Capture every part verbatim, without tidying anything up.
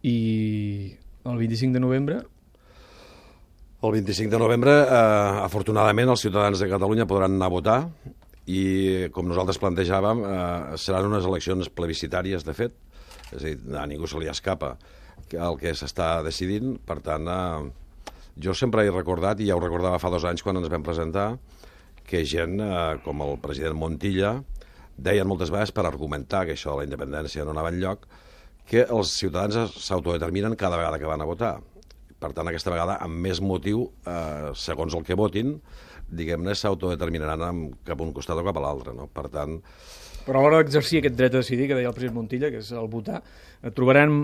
I el vint-i-cinc de novembre... El vint-i-cinc de novembre, eh, afortunadament, els ciutadans de Catalunya podran anar a votar i, com nosaltres plantejàvem, eh, seran unes eleccions plebiscitàries, de fet. És a dir, a ningú se li escapa el que s'està decidint. Per tant, eh, jo sempre he recordat, i ja ho recordava fa dos anys quan ens vam presentar, que gent eh, com el president Montilla deien moltes vegades, per argumentar que això de la independència no anava enlloc, que els ciutadans s'autodeterminen cada vegada que van a votar. Per tant, aquesta vegada, amb més motiu, eh, segons el que votin, diguem-ne, s'autodeterminaran cap a un costat o cap a l'altre, no? Per tant... Però a l'hora d'exercir aquest dret a decidir, que deia el president Montilla, que és el votar, trobaran,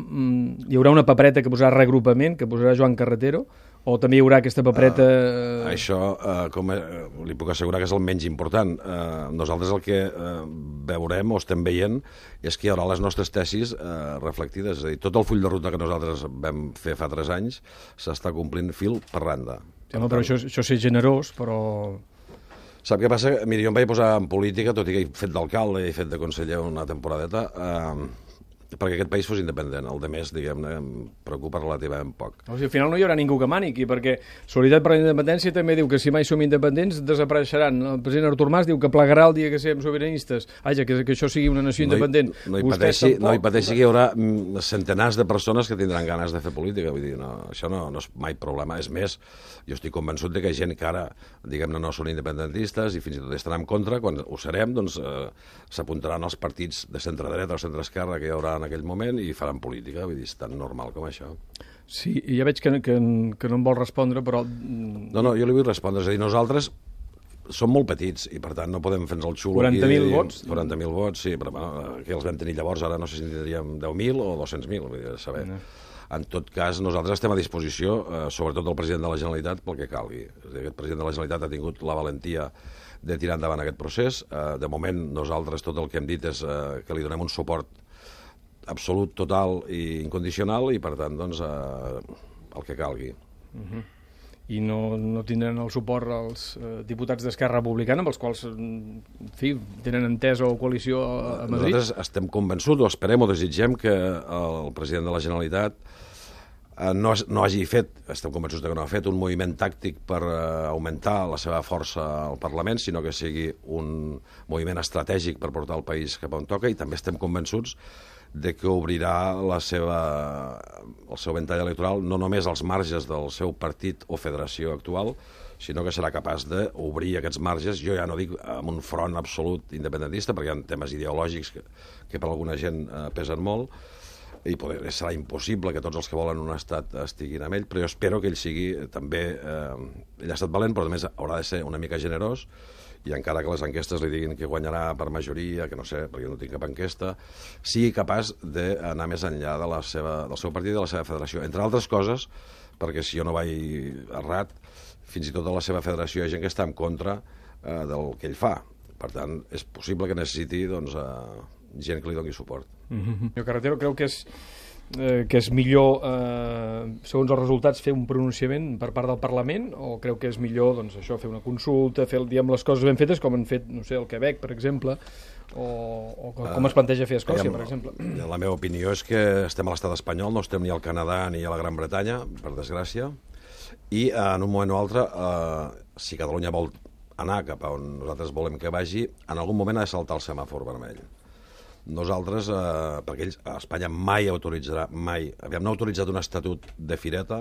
hi haurà una papereta que posarà regrupament, que posarà Joan Carretero, o també hi haurà aquesta papereta... Uh, això, uh, com uh, li puc assegurar que és el menys important. Uh, nosaltres el que uh, veurem o estem veient és que hi haurà les nostres tesis uh, reflectides. És a dir, tot el full de ruta que nosaltres vam fer fa tres anys s'està complint fil per randa. Sí, home, però això, això és generós, però... Sap què passa? Miri, jo em vaig posar en política, tot i que he fet d'alcalde i he fet de conseller una temporadeta, eh, perquè aquest país fos independent. El de més, diguem-ne, em preocupa relativament poc. O sigui, al final no hi haurà ningú que mani aquí, perquè Solidaritat per la Independència també diu que si mai som independents desapareixeran. El president Artur Mas diu que plegarà el dia que siguem sobiranistes. Vaja, que, que això sigui una nació no hi, independent. No hi, pateixi, no hi pateixi que hi haurà centenars de persones que tindran ganes de fer política. Vull dir, no, això no, no és mai problema. És més, jo estic convençut de que gent que ara, diguem-ne, no són independentistes i fins i tot estan en contra, quan ho serem, doncs eh, s'apuntaran als partits de centre-dreta o centre-esquerra que hi haurà en aquell moment i faran política. Vull dir, és tan normal com això. Sí, ja veig que, que, que no em vol respondre, però... No, no, jo li vull respondre. És a dir, nosaltres som molt petits i, per tant, no podem fer-nos el xulo. quaranta mil vots? quaranta mil vots, sí, però bueno, que els vam tenir llavors, ara no sé si en tindríem deu mil o dos-cents mil, vull dir, saber. No. En tot cas, nosaltres estem a disposició, eh, sobretot del president de la Generalitat, pel que calgui. És a dir, aquest president de la Generalitat ha tingut la valentia de tirar endavant aquest procés. Eh, de moment, nosaltres tot el que hem dit és eh, que li donem un suport absolut, total i incondicional i, per tant, doncs, eh, el que calgui. Uh-huh. I no, no tindran el suport els eh, diputats d'Esquerra Republicana, amb els quals, en fi, tenen entesa o coalició a, a Madrid? Nosaltres estem convençuts, o esperem o desitgem que el president de la Generalitat eh, no, no hagi fet, estem convençuts que no ha fet, un moviment tàctic per eh, augmentar la seva força al Parlament, sinó que sigui un moviment estratègic per portar el país cap on toca, i també estem convençuts de que obrirà la seva, el seu ventall electoral no només als marges del seu partit o federació actual, sinó que serà capaç d'obrir aquests marges, jo ja no dic amb un front absolut independentista, perquè hi ha temes ideològics que, que per alguna gent eh, pesen molt, i poder, serà impossible que tots els que volen un estat estiguin amb ell, però jo espero que ell sigui també... Eh, ell ha estat valent, però a més haurà de ser una mica generós, i encara que les enquestes li diguin que guanyarà per majoria, que no sé, perquè jo no tinc cap enquesta, sigui capaç d'anar més enllà de la seva, del seu partit i de la seva federació. Entre altres coses, perquè si jo no vaig errat, fins i tot a la seva federació hi ha gent que està en contra eh, del que ell fa. Per tant, és possible que necessiti doncs, eh, gent que li doni suport. Mm-hmm. Jo, Carretero, creu que és... Eh, que és millor, eh, segons els resultats, fer un pronunciament per part del Parlament, o creu que és millor, doncs, això, fer una consulta, fer, diguem, les coses ben fetes, com han fet, no sé, el Quebec, per exemple, o, o com uh, es planteja fer a Escòcia, per exemple? La meva opinió és que estem a l'estat espanyol, no estem ni al Canadà ni a la Gran Bretanya, per desgràcia, i eh, en un moment o altre, eh, si Catalunya vol anar cap a on nosaltres volem que vagi, en algun moment ha de saltar el semàfor vermell. Nosaltres, eh, perquè ells, a Espanya mai autoritzarà, mai, aviam, no ha autoritzat un estatut de fireta,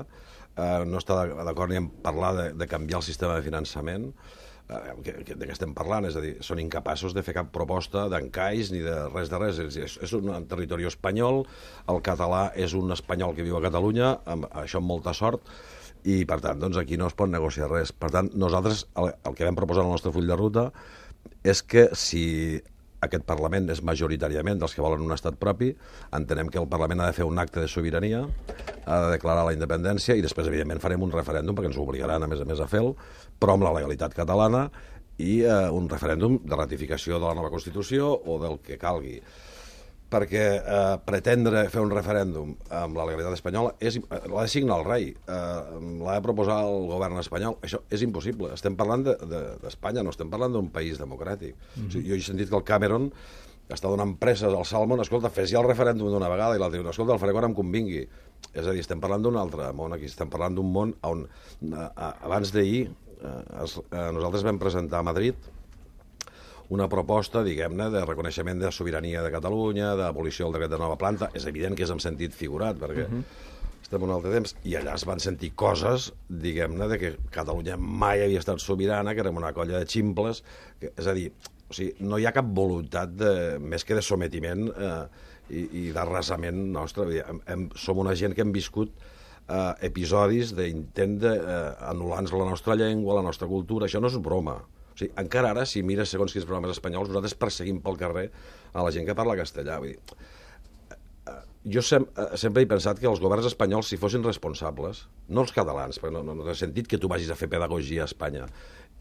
eh, no està d'acord ni en parlar de, de canviar el sistema de finançament, eh, que, que, de què estem parlant, és a dir, són incapaços de fer cap proposta d'encaix ni de res de res, és, és, és un territori espanyol, el català és un espanyol que viu a Catalunya, amb això amb molta sort, i per tant, doncs aquí no es pot negociar res. Per tant, nosaltres, el, el que vam proposar en el nostre full de ruta és que si aquest Parlament és majoritàriament dels que volen un estat propi, entenem que el Parlament ha de fer un acte de sobirania, ha de declarar la independència i després, evidentment, farem un referèndum perquè ens obligaran, a més a més, a fer-lo, però amb la legalitat catalana i eh, un referèndum de ratificació de la nova Constitució o del que calgui. Perquè eh, pretendre fer un referèndum amb la legalitat espanyola és, l'ha de signar el rei, eh, l'ha de proposar el govern espanyol. Això és impossible. Estem parlant d'Espanya, de, de, no estem parlant d'un país democràtic. Mm-hmm. O sigui, jo he sentit que el Cameron està donant preses al Salmon, escolta, fes ja el referèndum d'una vegada, i l'altre diu, escolta, el faré quan em convingui. És a dir, estem parlant d'un altre món aquí, estem parlant d'un món on abans d'ahir nosaltres vam presentar a Madrid una proposta, diguem-ne, de reconeixement de sobirania de Catalunya, d'abolició del dret de nova planta. És evident que és en sentit figurat, perquè uh -huh. estem un altre temps, i allà es van sentir coses, diguem-ne, de que Catalunya mai havia estat sobirana, que érem una colla de ximples, que, és a dir, o sigui, no hi ha cap voluntat de, més que de sometiment eh, i, i d'arrasament nostre. Hem, hem, som una gent que hem viscut eh, episodis d'intent d'anul·lar-nos la nostra llengua, la nostra cultura. Això no és broma. O sigui, encara ara, si mires segons quins programes espanyols, nosaltres perseguim pel carrer a la gent que parla castellà. Vull dir, jo sem sempre he pensat que els governs espanyols, si fossin responsables, no els catalans, perquè no, no, no té sentit que tu vagis a fer pedagogia a Espanya,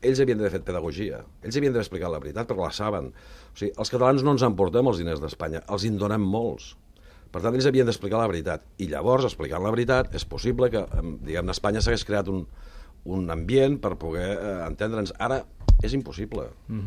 ells havien d'haver fet pedagogia, ells havien d'haver explicat la veritat, perquè la saben. O sigui, els catalans no ens emportem els diners d'Espanya, els en donem molts. Per tant, ells havien d'explicar la veritat. I llavors, explicant la veritat, és possible que, diguem-ne, a Espanya s'hagués creat un, un ambient per poder eh, entendre'ns. Ara és impossible. Mm-hmm.